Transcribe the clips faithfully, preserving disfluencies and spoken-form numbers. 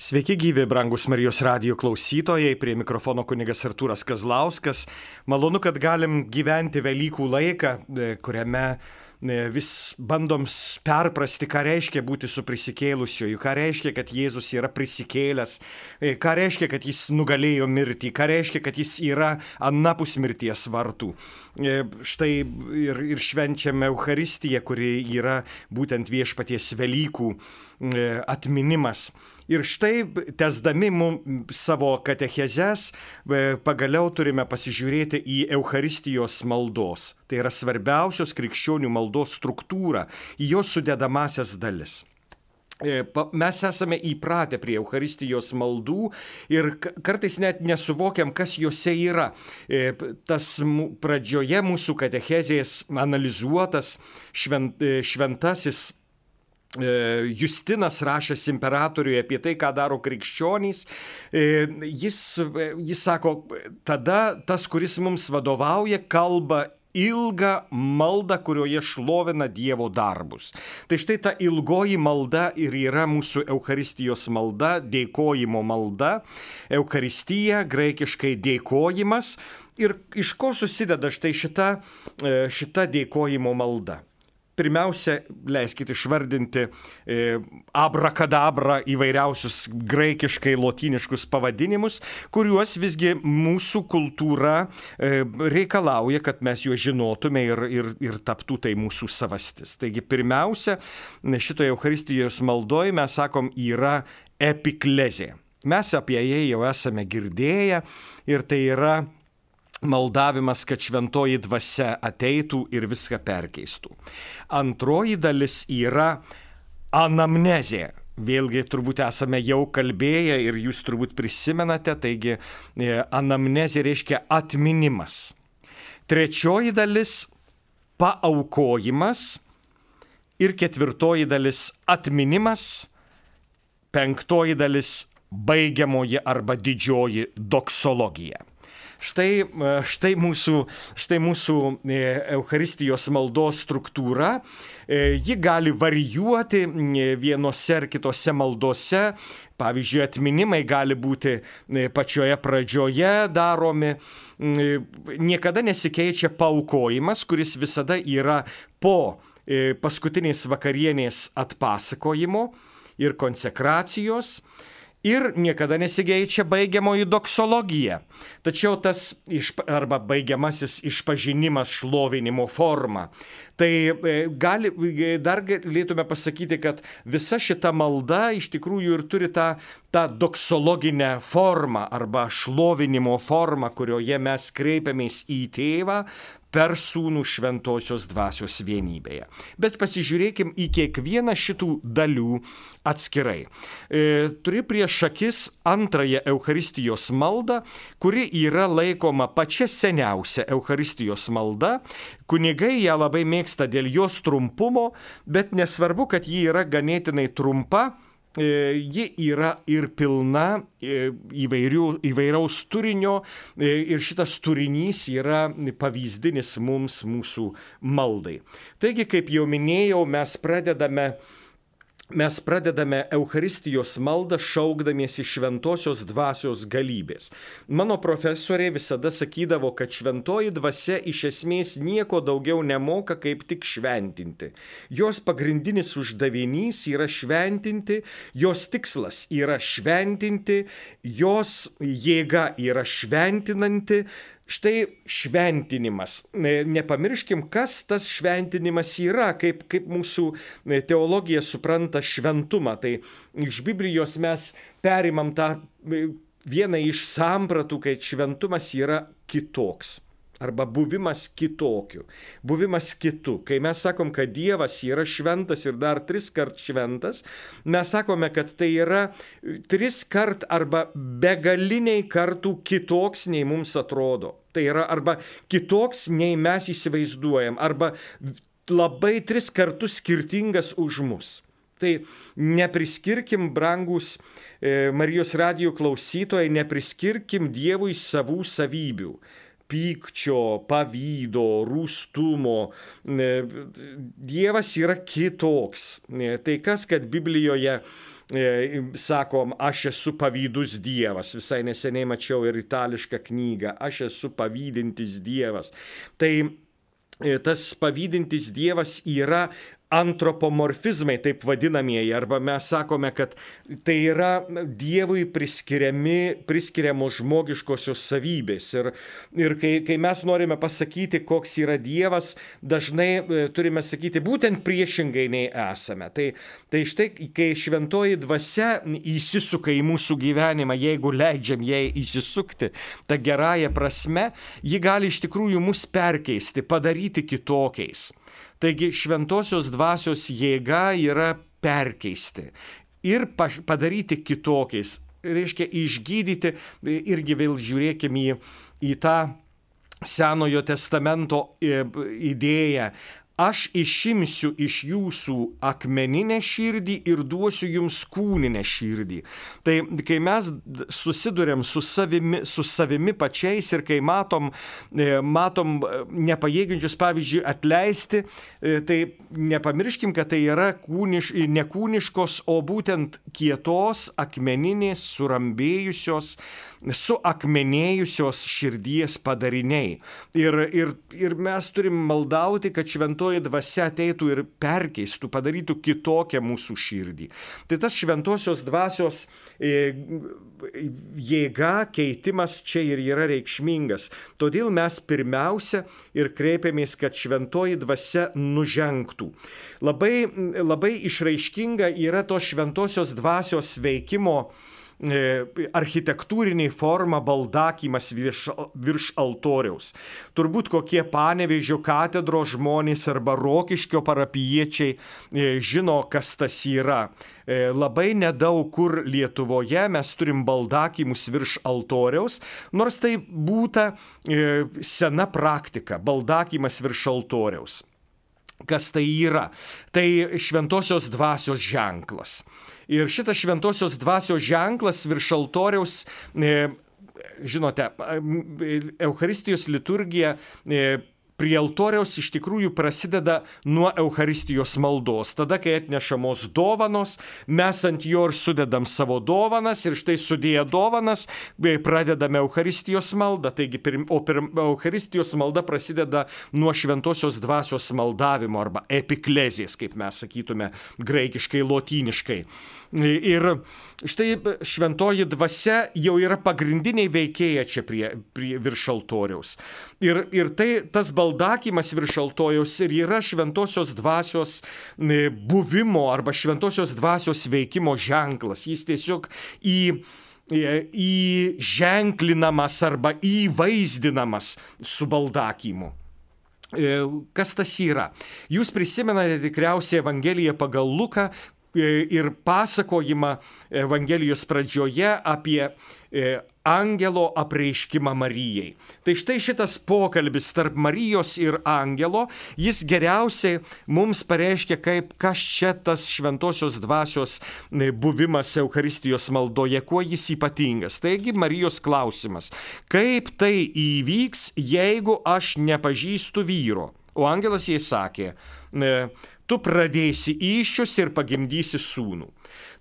Sveiki gyvi, brangus Marijos radijo klausytojai, prie mikrofono kunigas Artūras Kazlauskas. Malonu, kad galim gyventi Velykų laiką, kuriame vis bandom perprasti, ką reiškia būti su prisikėlusiuoju, ką reiškia, kad Jėzus yra prisikėlęs, ką reiškia, kad jis nugalėjo mirtį, ką reiškia, kad jis yra anapus mirties vartų. Štai ir, ir švenčiame Eucharistiją, kuri yra būtent viešpaties Velykų atminimas. Ir štai, tęsdami mums savo katechezes, pagaliau turime pasižiūrėti į Eucharistijos maldos. Tai yra svarbiausios krikščionių maldos struktūra, į jos sudedamasias dalis. Mes esame įpratę prie Eucharistijos maldų ir kartais net nesuvokiam, kas juose yra. Tas pradžioje mūsų katechezės analizuotas švent, šventasis Justinas rašęs imperatoriui apie tai, ką daro krikščionys, jis, jis sako, tada tas, kuris mums vadovauja, kalba ilgą maldą, kurioje šlovina Dievo darbus. Tai štai ta ilgoji malda ir yra mūsų Eucharistijos malda, dėkojimo malda. Eucharistija, graikiškai dėkojimas. Ir iš ko susideda štai šita, šita dėkojimo malda? Pirmiausia, leiskite išvardinti e, abrakadabra įvairiausius graikiškai lotyniškus pavadinimus, kuriuos visgi mūsų kultūra e, reikalauja, kad mes juos žinotume ir, ir, ir taptų tai mūsų savastis. Taigi pirmiausia, šitoje Eucharistijos maldoje mes sakom yra epiklezė. Mes apie ją jau esame girdėję ir tai yra maldavimas, kad šventoji dvasia ateitų ir viską perkeistų. Antroji dalis yra anamnezė. Vėlgi turbūt esame jau kalbėję ir jūs turbūt prisimenate, taigi anamnezė reiškia atminimas. Trečioji dalis paaukojimas ir ketvirtoji dalis atminimas, penktoji dalis baigiamoji arba didžioji doksologija. Štai, štai, mūsų, štai mūsų Eucharistijos maldos struktūra. Ji gali varijuoti vienose ar kitose maldose. Pavyzdžiui, atminimai gali būti pačioje pradžioje daromi. Niekada nesikeičia paaukojimas, kuris visada yra po paskutinės vakarienės atpasakojimo ir konsekracijos. Ir niekada nesikeičia baigiamoji doksologija. Tačiau tas iš, arba baigiamasis išpažinimas šlovinimo forma. Tai gali, dar galėtume pasakyti, kad visa šita malda iš tikrųjų ir turi tą, tą doksologinę formą arba šlovinimo formą, kurioje mes kreipiamės į tėvą per sūnų šventosios dvasios vienybėje. Bet pasižiūrėkim į kiekvieną šitų dalių atskirai. E, turi prieš akis antrąją Eucharistijos maldą, kuri yra laikoma pačia seniausia Eucharistijos malda. Kunigai ją labai mėgsta dėl jos trumpumo, bet nesvarbu, kad ji yra ganėtinai trumpa. Ji yra ir pilna įvairių, įvairaus turinio ir šitas turinys yra pavyzdinis mums mūsų maldai. Taigi, kaip jau minėjau, mes pradedame Mes pradedame Eucharistijos maldą šaukdamiesi šventosios dvasios galybės. Mano profesorė visada sakydavo, kad šventoji dvasia iš esmės nieko daugiau nemoka, kaip tik šventinti. Jos pagrindinis uždavinys yra šventinti, jos tikslas yra šventinti, jos jėga yra šventinanti. Štai šventinimas. Nepamirškim, kas tas šventinimas yra, kaip, kaip mūsų teologija supranta šventumą. Tai iš Biblijos mes perimam tą vieną iš sampratų, kai šventumas yra kitoks. Arba buvimas kitokiu, buvimas kitu. Kai mes sakom, kad Dievas yra šventas ir dar tris kart šventas, mes sakome, kad tai yra tris kart arba begaliniai kartų kitoks, nei mums atrodo. Tai yra arba kitoks, nei mes įsivaizduojam, arba labai tris kartus skirtingas už mus. Tai nepriskirkim, brangus e, Marijos radijo klausytojai, nepriskirkim Dievui savų savybių. pykčio, pavydo, rūstumo. Dievas yra kitoks. Tai kas, kad Biblijoje sakom, aš esu pavydus Dievas. Visai neseniai mačiau ir itališką knygą. Aš esu pavydintis Dievas. Tai tas pavydintis Dievas yra antropomorfizmai, taip vadinamieji, arba mes sakome, kad tai yra Dievui priskiriami, priskiriamos žmogiškosios savybės. Ir, ir kai, kai mes norime pasakyti, koks yra Dievas, dažnai turime sakyti būtent priešingai nei esame. Tai, tai štai, kai šventoji dvasia įsisuka į mūsų gyvenimą, jeigu leidžiam jai įsisukti, ta gerąja prasme, ji gali iš tikrųjų mus perkeisti, padaryti kitokiais. Taigi šventosios dvasios jėga yra perkeisti ir padaryti kitokiais. Reiškia išgydyti, irgi vėl žiūrėkime į, į tą Senojo testamento idėją. Aš išimsiu iš jūsų akmeninę širdį ir duosiu jums kūninę širdį. Tai kai mes susidurėm su savimi, su savimi pačiais ir kai matom, matom nepajėgiančius, pavyzdžiui, atleisti, tai nepamirškim, kad tai yra kūniš, nekūniškos, o būtent kietos, akmeninės, surambėjusios, suakmenėjusios širdies padariniai. Ir, ir, ir mes turim maldauti, kad šventoji dvasia ateitų ir perkeistų, padarytų kitokią mūsų širdį. Tai tas šventosios dvasios e, jėga, keitimas čia ir yra reikšmingas. Todėl mes pirmiausia ir kreipiamės, kad šventoji dvasia nužengtų. Labai, labai išraiškinga yra to šventosios dvasios veikimo architektūriniai forma baldakymas virš, virš altoriaus. Turbūt kokie Panevėžio katedros žmonės arba Rokiškio parapijiečiai žino, kas tas yra. Labai nedaug kur Lietuvoje mes turim baldakymus virš altoriaus, nors tai būta sena praktika, baldakymas virš altoriaus. Kas tai yra? Tai šventosios dvasios ženklas. Ir šitas šventosios dvasios ženklas virš altoriaus, e, žinote, Eucharistijos liturgija e, prie altoriaus iš tikrųjų prasideda nuo Eucharistijos maldos. Tada, kai atnešamos dovanos, mes ant jo ir sudedam savo dovanas ir štai sudėję dovanas pradedame Eucharistijos maldą. Taigi, o pirm, Eucharistijos malda prasideda nuo šventosios dvasios maldavimo arba epiklezės, kaip mes sakytume graikiškai, lotyniškai. Ir štai šventoji dvasia jau yra pagrindiniai veikėja čia prie, prie virš altoriaus. Ir, ir tai tas baldakymas virš altoriaus ir yra šventosios dvasios buvimo arba šventosios dvasios veikimo ženklas. Jis tiesiog į įženklinamas arba įvaizdinamas su baldakymu. Kas tas yra? Jūs prisimenate tikriausiai Evangeliją pagal Luką ir pasakojimą Evangelijos pradžioje apie angelo apreiškimą Marijai. Tai štai šitas pokalbis tarp Marijos ir angelo, jis geriausiai mums pareiškia, kaip kas čia tas šventosios dvasios buvimas Eucharistijos maldoje, kuo jis ypatingas. Taigi Marijos klausimas, kaip tai įvyks, jeigu aš nepažįstu vyro? O angelas jai sakė, tu pradėsi įsčius ir pagimdysi sūnų.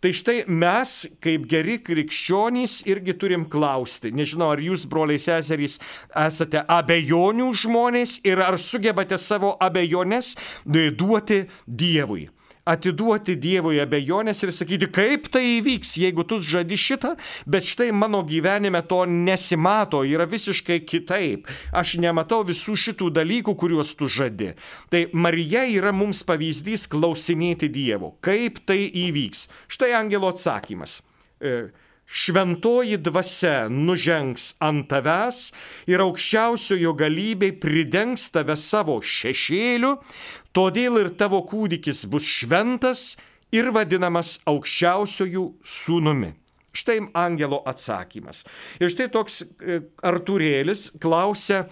Tai štai mes, kaip geri krikščionys, irgi turim klausti. Nežinau, ar jūs, broliai seserys, esate abejonių žmonės ir ar sugebate savo abejonės duoti Dievui. Atiduoti Dievui abejonės ir sakyti, kaip tai įvyks, jeigu tu žadi šitą, bet štai mano gyvenime to nesimato, yra visiškai kitaip. Aš nematau visų šitų dalykų, kuriuos tu žadi. Tai Marija yra mums pavyzdys klausinėti Dievo. Kaip tai įvyks? Štai angelo atsakymas. Šventoji dvasia nužengs ant tavęs ir aukščiausiojo galybė pridengs tave savo šešėliu, todėl ir tavo kūdikis bus šventas ir vadinamas aukščiausiojų sūnumi. Štai angelo atsakymas. Ir štai toks Artūrėlis klausia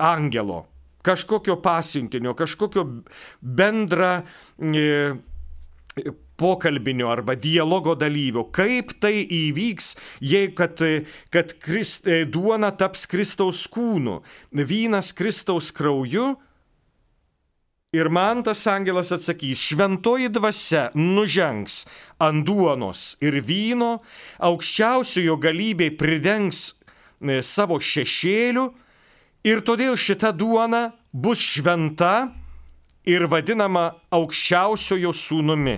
angelo, kažkokio pasiuntinio, kažkokio bendra pokalbinio arba dialogo dalyvio. Kaip tai įvyks, jei kad, kad Krist, duona taps Kristaus kūnu, vynas Kristaus krauju? Ir man tas angelas atsakys, šventoji dvasia nužengs ant duonos ir vyno, aukščiausiojo galybė pridengs savo šešėliu ir todėl šita duona bus šventa ir vadinama aukščiausiojo sūnumi.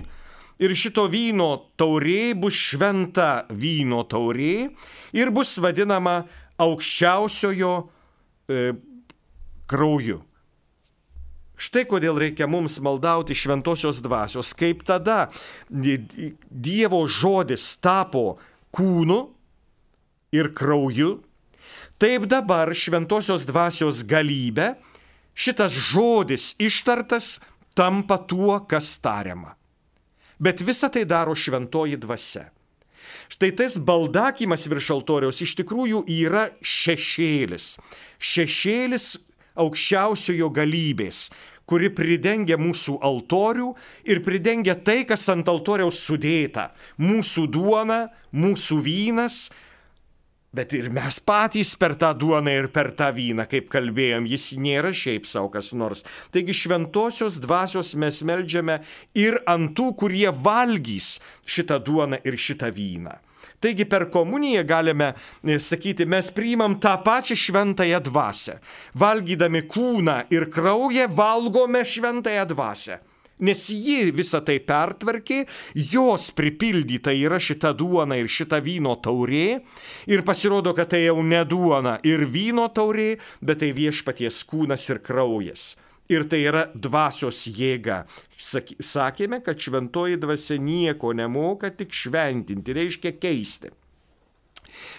Ir šito vyno taurė bus šventa vyno taurė ir bus vadinama aukščiausiojo e, krauju. Štai kodėl reikia mums maldauti šventosios dvasios, kaip tada Dievo žodis tapo kūnu ir krauju, taip dabar šventosios dvasios galybė, šitas žodis ištartas tampa tuo, kas tariama. Bet visą tai daro šventoji dvasia. Štai tas baldakymas virš altoriaus iš tikrųjų yra šešėlis. Šešėlis aukščiausiojo galybės, kuri pridengia mūsų altorių ir pridengia tai, kas ant altoriaus sudėta. Mūsų duona, mūsų vynas, bet ir mes patys per tą duoną ir per tą vyną, kaip kalbėjom, jis nėra šiaip savo kas nors. Taigi šventosios dvasios mes meldžiame ir ant tų, kurie valgys šitą duoną ir šitą vyną. Taigi per komuniją galime sakyti, mes priimam tą pačią šventąją dvasią. Valgydami kūną ir kraują valgome šventąją dvasią. Nes ji visą tai pertvarkė, jos pripildyta yra šita duona ir šita vyno taurė. Ir pasirodo, kad tai jau ne duona ir vyno taurė, bet tai viešpaties kūnas ir kraujas. Ir tai yra dvasios jėga. Sakėme, kad šventoji dvasia nieko nemoka, tik šventinti, reiškia keisti.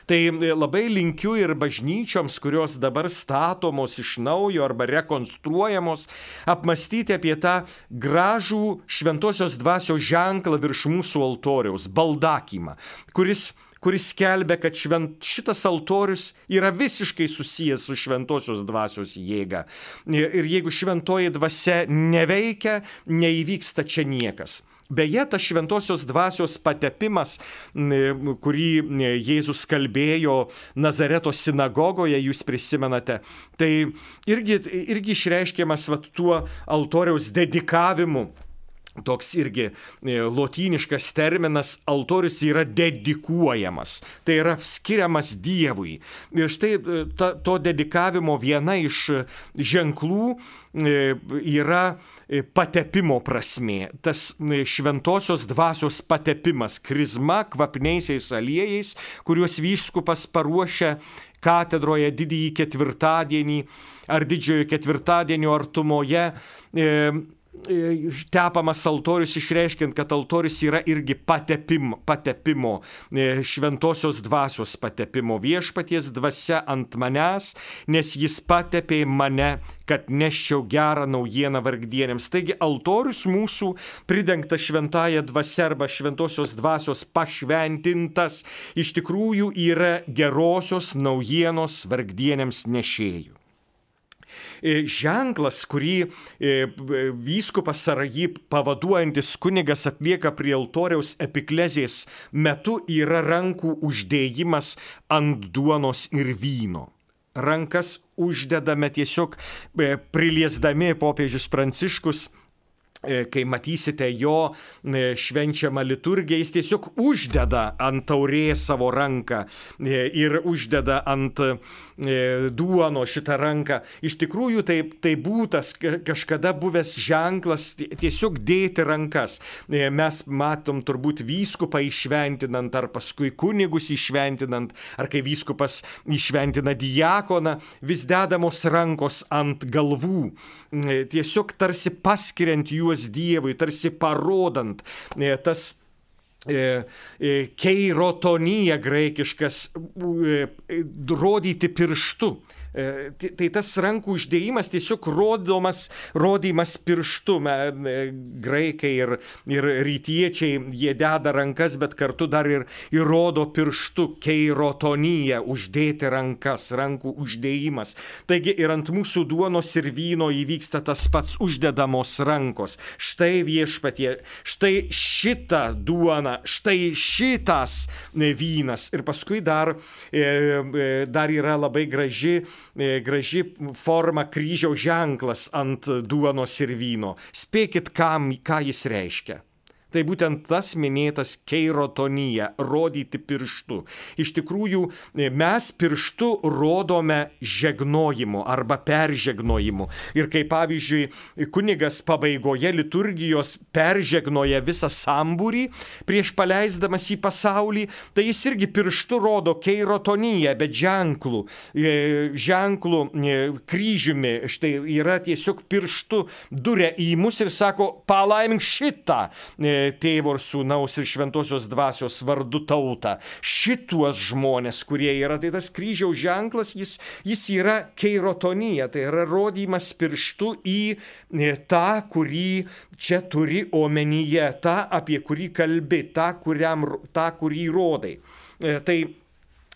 Tai labai linkiu ir bažnyčioms, kurios dabar statomos iš naujo arba rekonstruojamos, apmastyti apie tą gražų šventosios dvasios ženklą virš mūsų altoriaus, baldakymą, kuris kuris skelbia, kad švent, šitas altorius yra visiškai susijęs su šventosios dvasios jėga. Ir jeigu šventoji dvasia neveikia, neįvyksta čia niekas. Beje, tas šventosios dvasios patepimas, kurį Jėzus kalbėjo Nazareto sinagogoje, jūs prisimenate, tai irgi, irgi išreiškiamas vat, tuo altoriaus dedikavimu. Toks irgi lotyniškas terminas, altorius yra dedikuojamas, tai yra skiriamas Dievui. Ir štai ta, to dedikavimo viena iš ženklų yra patepimo prasmė. Tas šventosios dvasios patepimas, krizma kvapniaisiais aliejais, kuriuos vyskupas paruošia katedroje didįjį ketvirtadienį ar didžiojo ketvirtadienio artumoje, tepamas altorius, išreiškiant, kad altorius yra irgi patepimo, patepimo, šventosios dvasios patepimo, viešpaties dvasia ant manęs, nes jis patepė mane, kad neščiau gerą naujieną vargdienėms. Taigi altorius mūsų pridengtas šventąja dvasia arba šventosios dvasios pašventintas iš tikrųjų yra gerosios naujienos vargdienėms nešėjų. Ženklas, kurį vyskupas ar jį pavaduojantis kunigas atlieka prie altoriaus epiklezės metu, yra rankų uždėjimas ant duonos ir vyno. Rankas uždedame tiesiog priliesdami popiežius Pranciškus. Kai matysite jo švenčiamą liturgiją, jis tiesiog uždeda ant taurės savo ranką ir uždeda ant duono šitą ranką. Iš tikrųjų tai, tai būtas kažkada buvęs ženklas tiesiog dėti rankas. Mes matom turbūt vyskupą išventinant ar paskui kunigus išventinant, ar kai vyskupas išventina diakoną, vis dedamos rankos ant galvų. Tiesiog tarsi paskiriant juos Dievui, tarsi parodant tas keirotonija graikiškas, rodyti pirštu. Tai tas rankų uždėjimas tiesiog rodomas, rodymas pirštu. Graikai ir, ir rytiečiai, jie deda rankas, bet kartu dar ir įrodo pirštu, keirotonija, uždėti rankas, rankų uždėjimas. Taigi ir ant mūsų duonos ir vyno įvyksta tas pats, uždedamos rankos. Štai viešpatie, štai šitą duoną, štai šitas vynas. Ir paskui dar, dar yra labai graži graži forma kryžiaus ženklas ant duonos ir vyno. Spėkit, kam, ką jis reiškia. Tai būtent tas minėtas keirotonija, rodyti pirštu. Iš tikrųjų, mes pirštu rodome žegnojimu arba peržegnojimu. Ir kaip pavyzdžiui, kunigas pabaigoje liturgijos peržegnoja visą sambūrį prieš paleisdamas į pasaulį, tai jis irgi pirštu rodo keirotoniją, bet ženklų, ženklų kryžiumi. Štai yra tiesiog pirštu duria į mus ir sako, palaimink šitą Tėvo ir Sūnaus ir Šventosios Dvasios vardu tautą. Šituos žmonės, kurie yra, tai tas kryžiaus ženklas, jis, jis yra keirotonija, tai yra rodymas pirštu į tą, kurį čia turi omenyje, tą, apie kurį kalbi, tą, kuriam, tą kurį rodai. Tai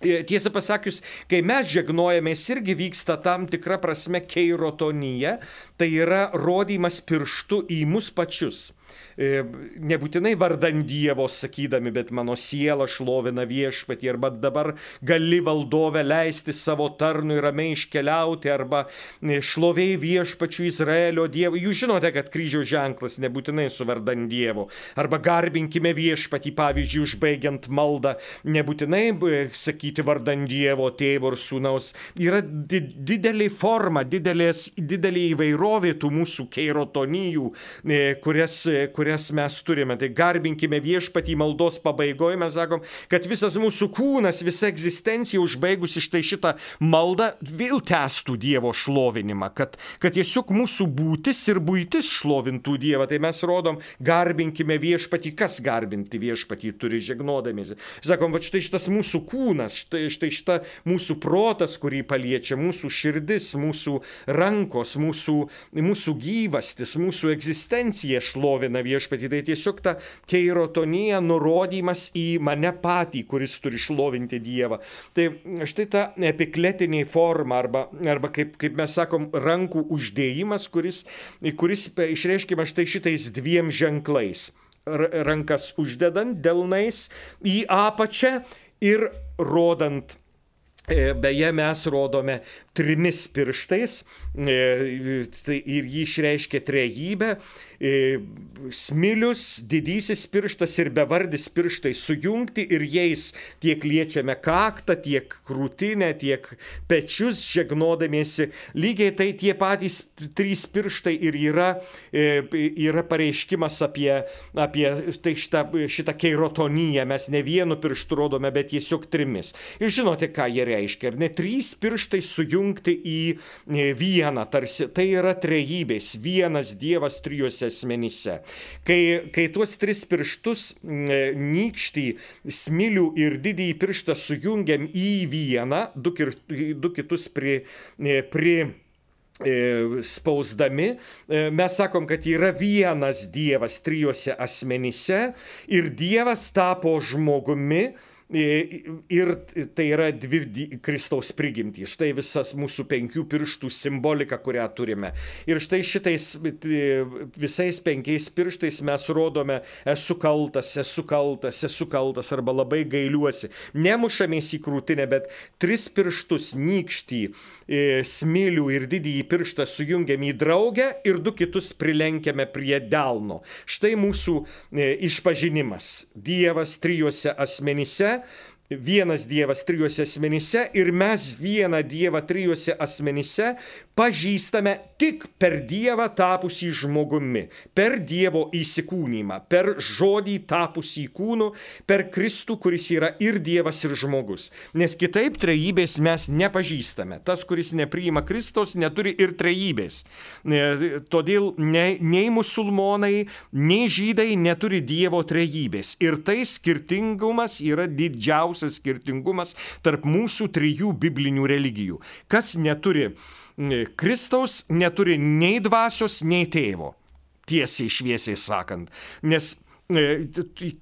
tiesą pasakius, kai mes žegnojamės, irgi vyksta tam tikra prasme keirotonija, tai yra rodymas pirštu į mus pačius. Nebūtinai vardan Dievo sakydami, bet mano siela šlovina viešpatį, arba dabar gali valdove leisti savo tarnui ramiai iškeliauti, arba šlovei viešpačių Izraelio Dievo. Jūs žinote, kad kryžiaus ženklas nebūtinai su vardan Dievo. Arba garbinkime viešpatį, pavyzdžiui, užbaigiant maldą, nebūtinai sakyti vardan Dievo, Tėvo ir Sūnaus. Yra didelė forma, didelės, didelė įvairovė tų mūsų keirotonijų, kurias, kurias mes turime. Tai garbinkime viešpatį maldos pabaigoje, mes sakom, kad visas mūsų kūnas, visa egzistencija užbaigusi štai šitą maldą vėl tęstų Dievo šlovinimą, kad, kad tiesiog mūsų būtis ir buitis šlovintų Dievą. Tai mes rodom, garbinkime viešpatį. Kas garbinti viešpatį turi žegnodamiesi? Sakom, va štai šitas mūsų kūnas, štai, štai šita mūsų protas, kurį paliečia, mūsų širdis, mūsų rankos, mūsų, mūsų gyvastis, mūsų egzistencija šlovina viešpatį. Tai tiesiog ta keirotonija, nurodymas į mane patį, kuris turi šlovinti Dievą. Tai štai ta epikletinė forma, arba, arba kaip, kaip mes sakom, rankų uždėjimas, kuris, kuris išreiškima štai šitais dviem ženklais. Rankas uždedant delnais į apačią ir rodant. Beje, mes rodome trimis pirštais, tai ir jį išreiškia trejybę. Smilius, didysis pirštas ir bevardis pirštai sujungti, ir jais tiek liečiame kaktą, tiek krūtinę, tiek pečius žegnodamiesi. Lygiai tai tie patys trys pirštai ir yra, yra pareiškimas apie, apie tai šitą, šitą keirotoniją. Mes ne vienu pirštu rodome, bet tiesiog trimis. Ir žinote, ką jie reiškia? Ar ne? Trys pirštai sujungti į vieną, tarsi tai yra trejybės, vienas Dievas trijuose asmenyse. Kai, kai tuos tris pirštus, nykštį, smilių ir didįjį pirštą sujungiam į vieną, du, du kitus pri, pri spausdami, mes sakom, kad yra vienas Dievas trijuose asmenyse ir Dievas tapo žmogumi. Ir tai yra dvi Kristaus prigimtys. Štai visas mūsų penkių pirštų simbolika, kurią turime. Ir štai šitais visais penkiais pirštais mes rodome esu kaltas, esu kaltas, esu kaltas arba labai gailiuosi. Nemušamės į krūtinę, bet tris pirštus, nykštį, smilių ir didįjį pirštą sujungiam į draugę ir du kitus prilenkiame prie delno. Štai mūsų išpažinimas. Dievas trijuose asmenyse. Vienas Dievas trijuose asmenyse ir mes vieną Dievą trijuose asmenyse pažįstame tik per Dievą tapusį žmogumi, per Dievo įsikūnymą, per žodį tapusį kūnu, per Kristų, kuris yra ir Dievas, ir žmogus. Nes kitaip trejybės mes nepažįstame. Tas, kuris nepriima Kristaus, neturi ir trejybės. Todėl nei, nei musulmonai, nei žydai neturi Dievo trejybės. Ir tai skirtingumas yra didžiausias didžiausias skirtingumas tarp mūsų trijų biblinių religijų. Kas neturi Kristaus, neturi nei dvasios, nei tėvo. Tiesiai šviesiai sakant. Nes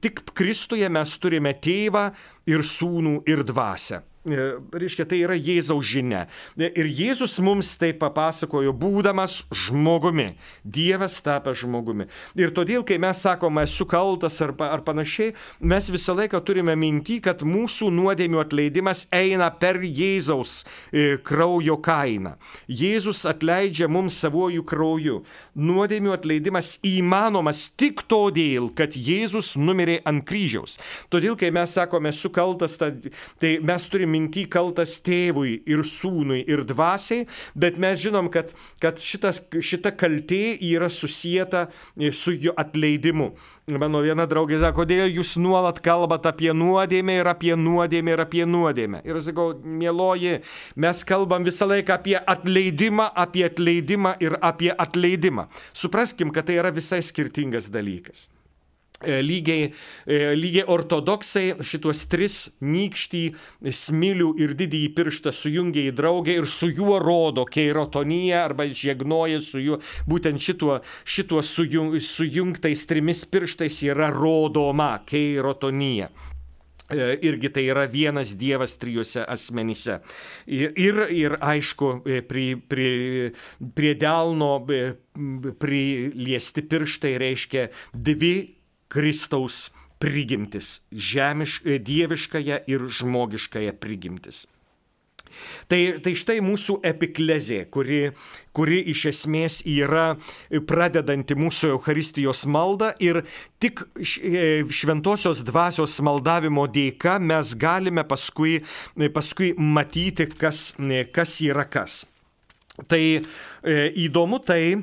tik Kristuje mes turime tėvą ir sūnų ir dvasią. Reiškia, tai yra Jėzaus žinia. Ir Jėzus mums tai papasakojo, būdamas žmogumi. Dievas tapęs žmogumi. Ir todėl, kai mes sakome, esu kaltas ar, ar panašiai, mes visą laiką turime minti, kad mūsų nuodėmių atleidimas eina per Jėzaus kraujo kainą. Jėzus atleidžia mums savojų krauju. Nuodėmių atleidimas įmanomas tik todėl, kad Jėzus numirė ant kryžiaus. Todėl, kai mes sakome, esu kaltas, tai mes turime minty kaltas tėvui ir sūnui ir dvasiai, bet mes žinom, kad, kad šitas, šita kaltė yra susieta su jo atleidimu. Mano viena draugė sako, kodėl jūs nuolat kalbat apie nuodėmę ir apie nuodėmę ir apie nuodėmę. Ir aš sakau, mieloji, mes kalbam visą laiką apie atleidimą, apie atleidimą ir apie atleidimą. Supraskim, kad tai yra visai skirtingas dalykas. Lygiai, lygiai ortodoksai šituos tris nykštį, smilių ir didįjį pirštą sujungia į draugę ir su juo rodo keirotoniją arba žiegnoja su juo. Būtent šituo, šituo sujung, sujungtais trimis pirštais yra rodoma keirotonija. Irgi tai yra vienas Dievas trijuose asmenyse. Ir, ir aišku, prie, prie, prie delno priliesti pirštai reiškia dvi Kristaus prigimtis, žemiš, dieviškąją ir žmogiškąją prigimtis. Tai, tai štai mūsų epiklezė, kuri, kuri iš esmės yra pradedanti mūsų Eucharistijos maldą ir tik šventosios dvasios maldavimo dėka mes galime paskui, paskui matyti, kas, kas yra kas. Tai įdomu tai,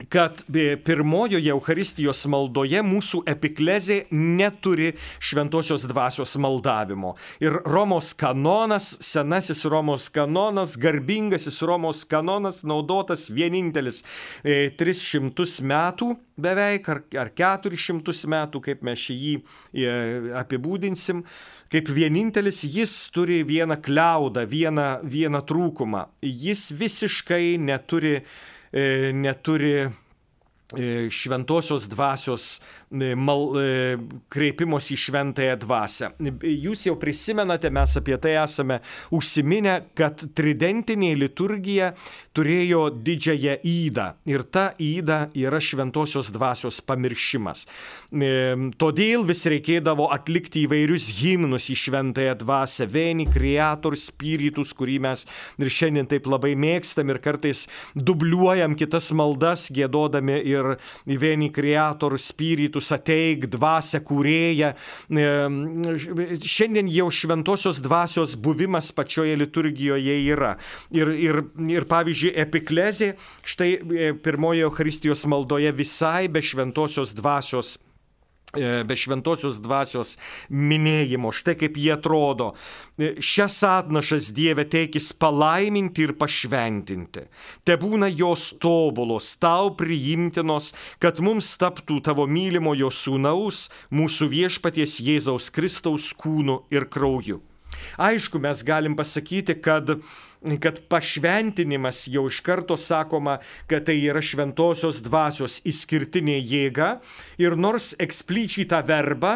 kad pirmojoje Eucharistijos maldoje mūsų epiklezė neturi šventosios dvasios maldavimo. Ir Romos kanonas, senasis Romos kanonas, garbingasis Romos kanonas naudotas vienintelis e, tris šimtus metų beveik, ar, ar keturis šimtus metų, kaip mes jį e, apibūdinsim. Kaip vienintelis jis turi vieną kliaudą, vieną, vieną trūkumą. Jis visiškai neturi neturi šventosios dvasios mal, kreipimos į šventąją dvasią. Jūs jau prisimenate, mes apie tai esame užsiminę, kad tridentinė liturgija turėjo didžiąją įdą ir ta įda yra šventosios dvasios pamiršimas. Todėl vis reikėdavo atlikti įvairius himnus į šventąją dvasią, Veni Creator Spiritus, kurį mes ir šiandien taip labai mėgstam ir kartais dubliuojam kitas maldas, giedodami ir Veni Creator Spiritus, ateik dvasia kūrėja. Šiandien jau šventosios dvasios buvimas pačioje liturgijoje yra. Ir, ir, ir pavyzdžiui, epiklezė, štai pirmoje Eucharistijos maldoje visai be šventosios dvasios be šventosios dvasios minėjimo. Štai kaip jie atrodo. Šias atnašas Dieve teikis palaiminti ir pašventinti. Tebūna jos tobulos, tau priimtinos, kad mums taptų tavo mylimojo sūnaus, mūsų viešpaties Jėzaus Kristaus kūnu ir krauju. Aišku, mes galim pasakyti, kad, kad pašventinimas jau iš karto sakoma, kad tai yra šventosios dvasios išskirtinė jėga ir nors eksplicitą tą verbą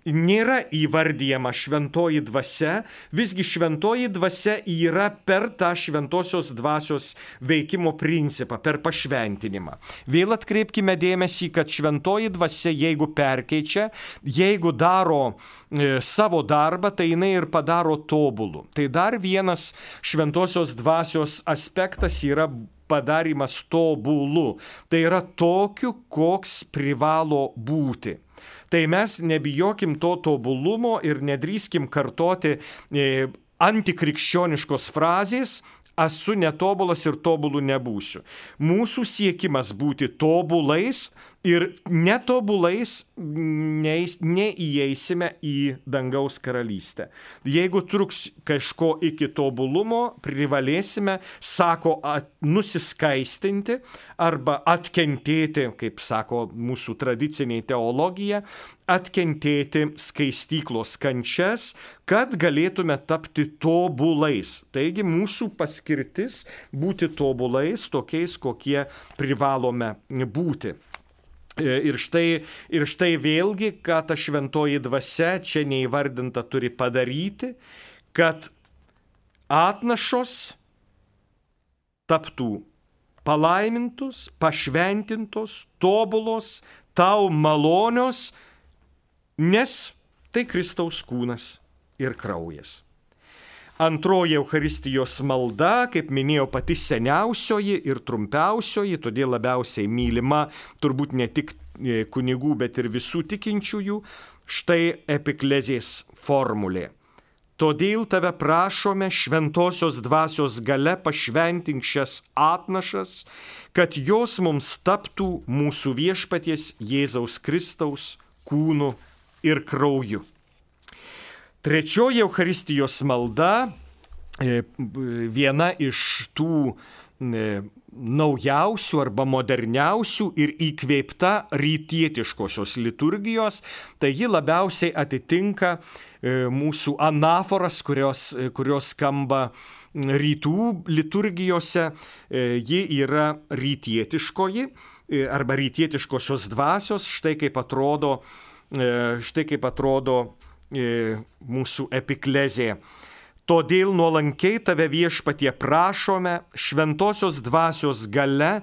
nėra įvardyjama šventoji dvasia, visgi šventoji dvasia yra per tą šventosios dvasios veikimo principą, per pašventinimą. Vėl atkreipkime dėmesį, kad šventoji dvasia, jeigu perkeičia, jeigu daro e, savo darbą, tai jinai ir padaro tobulų. Tai dar vienas šventosios dvasios aspektas yra padarimas tobulų. Tai yra tokiu, koks privalo būti. Tai mes nebijokim to tobulumo ir nedrįskim kartoti e, antikrikščioniškos frazės, esu netobulas ir tobulų nebūsiu. Mūsų siekimas būti tobulais Ir netobulais neis, neįeisime į dangaus karalystę. Jeigu truks kažko iki tobulumo, privalėsime, sako, at, nusiskaistinti arba atkentėti, kaip sako mūsų tradiciniai teologija, atkentėti skaistyklos kančias, kad galėtume tapti tobulais. Taigi mūsų paskirtis būti tobulais, tokiais, kokie privalome būti. Ir štai, ir štai vėlgi, ką ta šventoji dvasia čia neįvardinta turi padaryti, kad atnašos taptų palaimintos, pašventintos, tobulos, tau malonios, nes tai Kristaus kūnas ir kraujas. Antroji Eucharistijos malda, kaip minėjau, pati seniausioji ir trumpiausioji, todėl labiausiai mylima turbūt ne tik kunigų, bet ir visų tikinčiųjų, štai epiklezės formulė. Todėl tave prašome šventosios dvasios gale pašventink šias atnašas, kad jos mums taptų mūsų viešpaties Jėzaus Kristaus kūnu ir krauju. Trečioji Eucharistijos malda, viena iš tų naujausių arba moderniausių ir įkvėpta rytietiškosios liturgijos, tai ji labiausiai atitinka mūsų anaforas, kurios, kurios skamba rytų liturgijose. Ji yra rytietiškoji arba rytietiškosios dvasios, štai kaip atrodo, štai kaip atrodo mūsų epiklezė. Todėl nuolankiai tave viešpatie prašome šventosios dvasios gale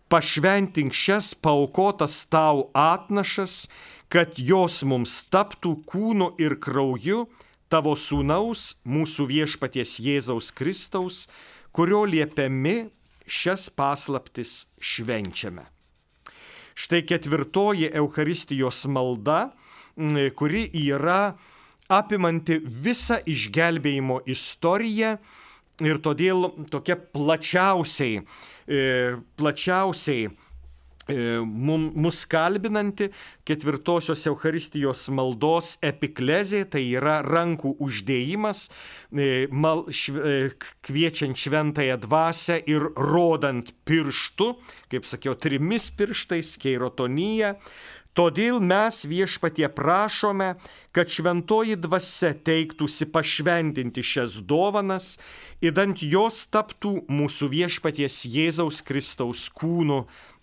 pašventink šias paaukotas tau atnašas, kad jos mums taptų kūnu ir krauju tavo sūnaus, mūsų viešpaties Jėzaus Kristaus, kurio liepiami šias paslaptis švenčiame. Štai ketvirtoji Eucharistijos malda, kuri yra apimanti visą išgelbėjimo istoriją ir todėl tokia plačiausiai, plačiausiai mus kalbinanti ketvirtosios Eucharistijos maldos epiklezė, tai yra rankų uždėjimas, mal, šv, kviečiant šventąją dvasią ir rodant pirštu, kaip sakiau, trimis pirštais, keirotonija. Todėl mes viešpatie prašome, kad šventoji dvasia teiktųsi pašventinti šias dovanas, idant jos taptų mūsų viešpaties Jėzaus Kristaus kūnu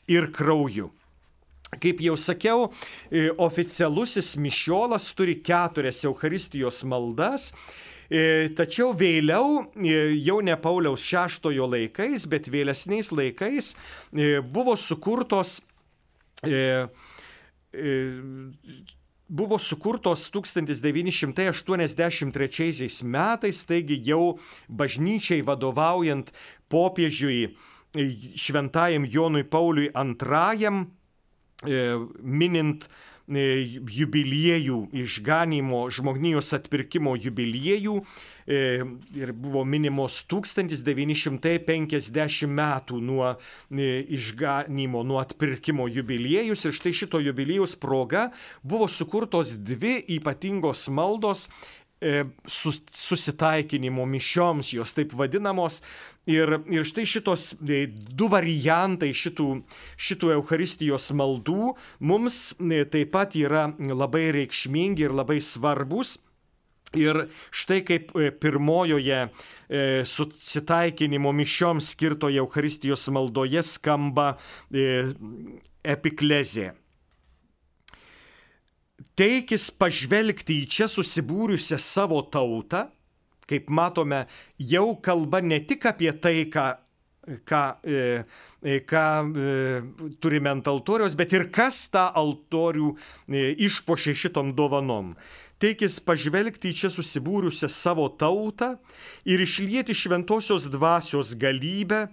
ir krauju. Kaip jau sakiau, oficialusis mišiolas turi keturias Eucharistijos maldas, tačiau vėliau, jau ne Pauliaus šeštojo laikais, bet vėlesniais laikais buvo sukurtos buvo sukurtos tūkstantis devyni šimtai aštuoniasdešimt trečiaisiais metais, taigi jau bažnyčiai vadovaujant popiežiui šventajam Jonui Pauliui antrajam, minint jubiliejų, išganymo, žmonijos atpirkimo jubiliejų, ir buvo minimos tūkstantis devyni šimtai penkiasdešimt metų nuo išganymo, nuo atpirkimo jubiliejus. Ir štai šito jubiliejaus proga buvo sukurtos dvi ypatingos maldos susitaikinimo mišioms, jos taip vadinamos. Ir, ir štai šitos du variantai šitų, šitų Eucharistijos maldų mums taip pat yra labai reikšmingi ir labai svarbus. Ir štai kaip pirmojoje susitaikinimo mišioms skirtoje Eucharistijos maldoje skamba epiklezė. Teikis pažvelgti į čia susibūrusią savo tautą, kaip matome, jau kalba ne tik apie tai, ką, ką, ką turime ant altoriaus, bet ir kas tą altorių išpuošė šitom dovanom. Teikis pažvelgti į čia susibūrusią savo tautą ir išlieti šventosios dvasios galybę,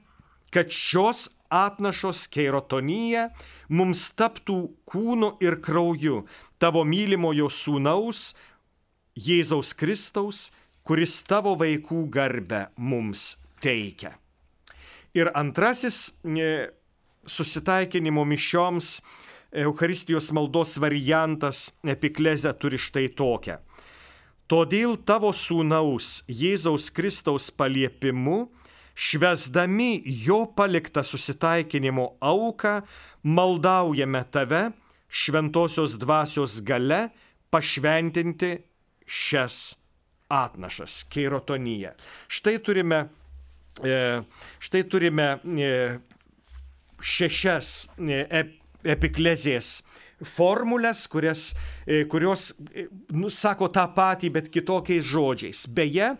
kad šios atnašos keirotonija mums taptų kūnu ir krauju tavo mylimojo sūnaus, Jėzaus Kristaus, kuris tavo vaikų garbę mums teikia. Ir antrasis susitaikinimo mišioms Eucharistijos maldos variantas epiklezę turi štai tokią. Todėl tavo sūnaus Jėzaus Kristaus paliepimu, švęsdami jo paliktą susitaikinimo auką, maldaujame tave šventosios dvasios gale pašventinti šias atnašas, keirotoniją. Štai turime, štai turime šešias epiklezės formulės, kurias, kurios nusako tą patį, bet kitokiais žodžiais. Beje,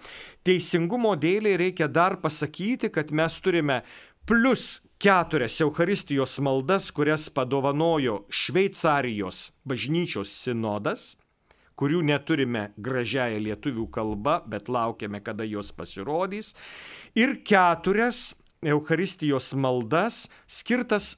teisingumo dėliai reikia dar pasakyti, kad mes turime plus keturias Eucharistijos maldas, kurias padovanojo Šveicarijos bažnyčios sinodas, kurių neturime gražiąją lietuvių kalbą, bet laukiame, kada jos pasirodys, ir keturias Eucharistijos maldas skirtas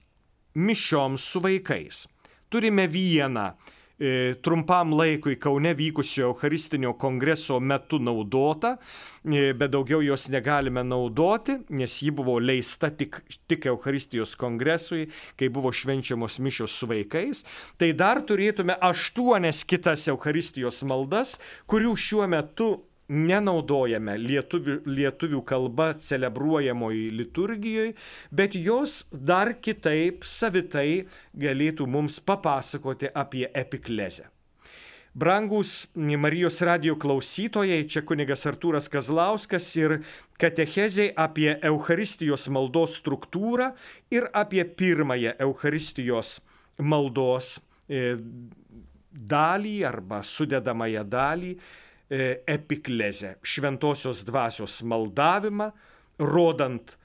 mišioms su vaikais. Turime vieną e, trumpam laikui Kaune vykusio Eucharistinio kongreso metu naudotą, e, bet daugiau jos negalime naudoti, nes ji buvo leista tik, tik Eucharistijos kongresui, kai buvo švenčiamos mišios su vaikais. Tai dar turėtume aštuonias kitas Eucharistijos maldas, kurių šiuo metu nenaudojame lietuvių, lietuvių kalba celebruojamoje liturgijoje, bet jos dar kitaip, savitai galėtų mums papasakoti apie epiklezę. Brangus Marijos radijo klausytojai, čia kunigas Artūras Kazlauskas ir katechezė apie Eucharistijos maldos struktūrą ir apie pirmąją Eucharistijos maldos dalį arba sudedamąją dalį, epiklezę, šventosios dvasios maldavimą, rodant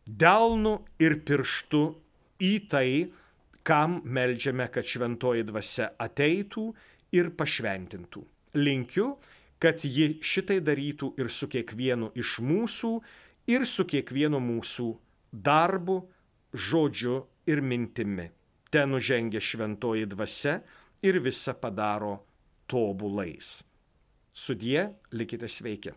delnu ir pirštu į tai, kam meldžiame, kad šventoji dvasia ateitų ir pašventintų. Linkiu, kad ji šitai darytų ir su kiekvienu iš mūsų, ir su kiekvienu mūsų darbu, žodžiu ir mintimi. Ten nužengia šventoji dvasia ir visa padaro tobulais. Sudie, likite sveiki.